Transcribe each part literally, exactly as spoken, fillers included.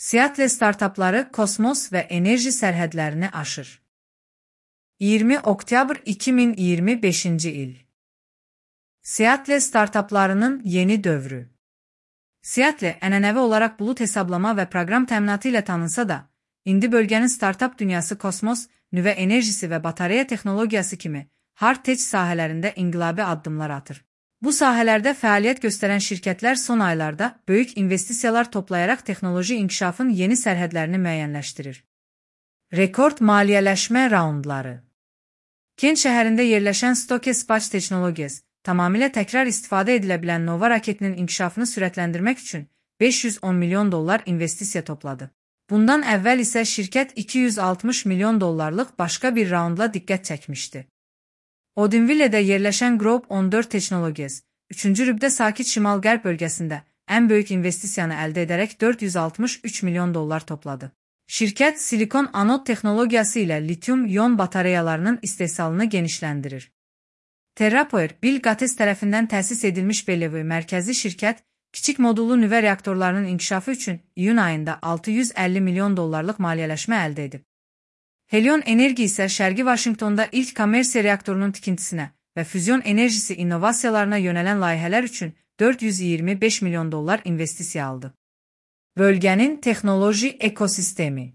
Seattle startapları kosmos və enerji sərhədlərini aşır. iyirmi oktyabr iki min iyirmi beşinci il. Seattle startaplarının yeni dövrü. Seattle ənənəvi olaraq bulut hesablama və proqram təminatı ilə tanınsa da, indi bölgənin startap dünyası kosmos, nüvə enerjisi və batareya texnologiyası kimi hard tech sahələrində inqilabi addımlar atır. Bu sahələrdə fəaliyyət göstərən şirkətlər son aylarda böyük investisiyalar toplayaraq texnoloji inkişafın yeni sərhədlərini müəyyənləşdirir. Rekord maliyyələşmə raundları. Kent şəhərində yerləşən Stoke Space Technologies, tamamilə təkrar istifadə edilə bilən Nova raketinin inkişafını sürətləndirmək üçün beş yüz on milyon dollar investisiya topladı. Bundan əvvəl isə şirkət iki yüz altmış milyon dollarlıq başqa bir raundla diqqət çəkmişdi. Odinville'də yerləşən Group on dörd Technologies, üçüncü rübdə sakit şimal-qərb bölgəsində ən böyük investisiyanı əldə edərək dörd yüz altmış üç milyon dollar topladı. Şirkət silikon anod texnologiyası ilə litium-ion batareyalarının istehsalını genişləndirir. TerraPower, Bill Gates tərəfindən təsis edilmiş Bellevue mərkəzi şirkət, kiçik modullu nüvə reaktorlarının inkişafı üçün iyun ayında altı yüz əlli milyon dollarlıq maliyyələşmə əldə edib. Helion Enerji isə Şərqi Vaşinqtonda ilk kommersiya reaktorunun tikintisinə və füzyon enerjisi innovasiyalarına yönələn layihələr üçün dörd yüz iyirmi beş milyon dollar investisiya aldı. Bölgənin texnoloji ekosistemi.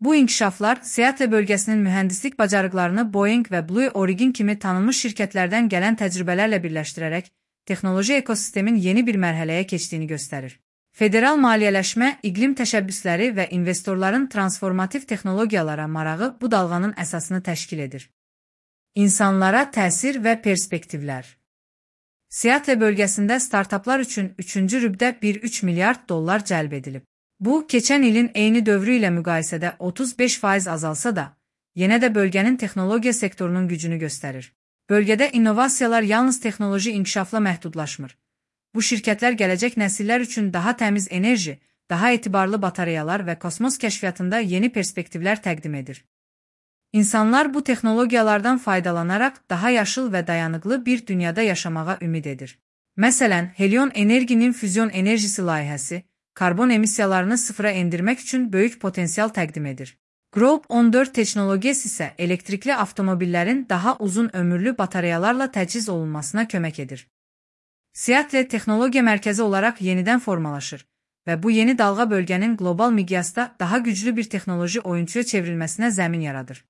Bu inkişaflar Seattle bölgəsinin mühəndislik bacarıqlarını Boeing və Blue Origin kimi tanınmış şirkətlərdən gələn təcrübələrlə birləşdirərək texnoloji ekosistemin yeni bir mərhələyə keçdiyini göstərir. Federal maliyyələşmə, iqlim təşəbbüsləri və investorların transformativ texnologiyalara marağı bu dalğanın əsasını təşkil edir. İnsanlara təsir və perspektivlər. Seattle bölgəsində startaplar üçün üçüncü rübdə bir nöqtə üç milyard dollar cəlb edilib. Bu, keçən ilin eyni dövrü ilə müqayisədə otuz beş faiz azalsa da, yenə də bölgənin texnologiya sektorunun gücünü göstərir. Bölgədə innovasiyalar yalnız texnoloji inkişafla məhdudlaşmır. Bu şirkətlər gələcək nəsillər üçün daha təmiz enerji, daha etibarlı batareyalar və kosmos kəşfiyyatında yeni perspektivlər təqdim edir. İnsanlar bu texnologiyalardan faydalanaraq daha yaşıl və dayanıqlı bir dünyada yaşamağa ümid edir. Məsələn, Helion Enerjinin füzyon enerjisi layihəsi, karbon emissiyalarını sıfıra endirmək üçün böyük potensial təqdim edir. Group on dörd Technologies isə elektrikli avtomobillərin daha uzun ömürlü batareyalarla təchiz olunmasına kömək edir. Seattle texnologiya mərkəzi olaraq yenidən formalaşır və bu yeni dalğa bölgənin qlobal miqyasda daha güclü bir texnoloji oyunçuya çevrilməsinə zəmin yaradır.